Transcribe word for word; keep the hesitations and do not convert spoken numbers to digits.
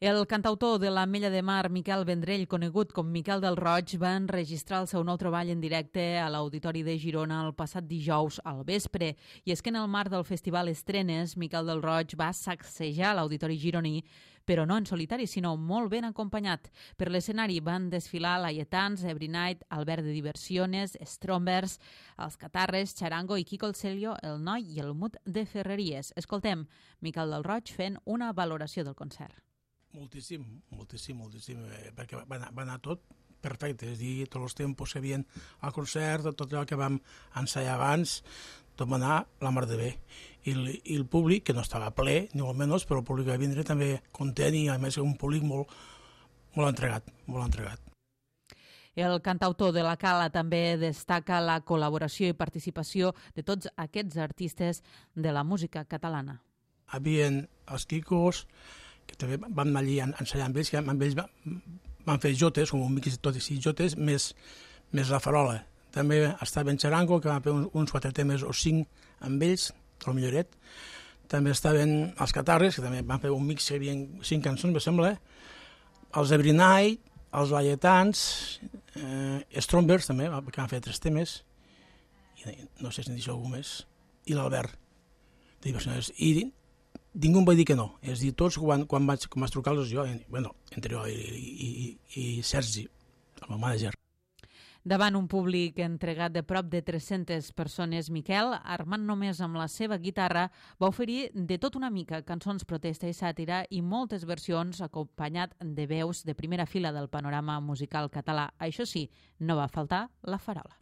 El cantautor de l'Ametlla de Mar, Miquel Vendrell, conegut com Miquel del Roig, va enregistrar el seu nou treball en directe a l'Auditori de Girona el passat dijous al vespre. I és que en el marc del Festival Estrenes, Miquel del Roig va sacsejar l'Auditori gironí, però no en solitari, sinó molt ben acompanyat. Per l'escenari van desfilar Laietans, Every Night, Albert de Diversiones, Strombers, Els Catarres, Charango i Quico el Celio, El Noi i el Mut de Ferreries. Escoltem Miquel del Roig fent una valoració del concert. Moltíssim, moltíssim, moltíssim, eh, perquè va anar, va anar tot perfecte, és a dir, tots els tempos que hi havia al concert, tot allò que vam ensaiar abans, tot va anar la mar de bé. I el, i el públic, que no estava ple, ni molt menys, però el públic va vindre també content i a més un públic molt, molt entregat, molt entregat. El cantautor de la Cala també destaca la col·laboració i participació de tots aquests artistes de la música catalana. Hi havia els Quicos, que també vam anar allí a ensenyar amb ells, que amb ells van fer jotes, com un mix de tot i sis jotes, més, més la farola. També estava en Charango, que van fer uns, uns quatre temes o cinc amb ells, el milloret. També estaven els Catarres, que també van fer un mix, que hi havia cinc cançons, me sembla. Els Every Night, els Laietans, eh, Strombers també, que van fer tres temes, i no sé si n'hi algú més, i l'Albert. I ningú em va dir que no, és a dir, tots quan, quan vaig, quan vaig trucar-los jo, bueno, entre jo i, i, i, i Sergi, el meu manager. Davant un públic entregat de prop de tres-centes persones, Miquel, armant només amb la seva guitarra, va oferir de tot una mica cançons protesta i sàtira i moltes versions acompanyat de veus de primera fila del panorama musical català. Això sí, no va faltar la farola.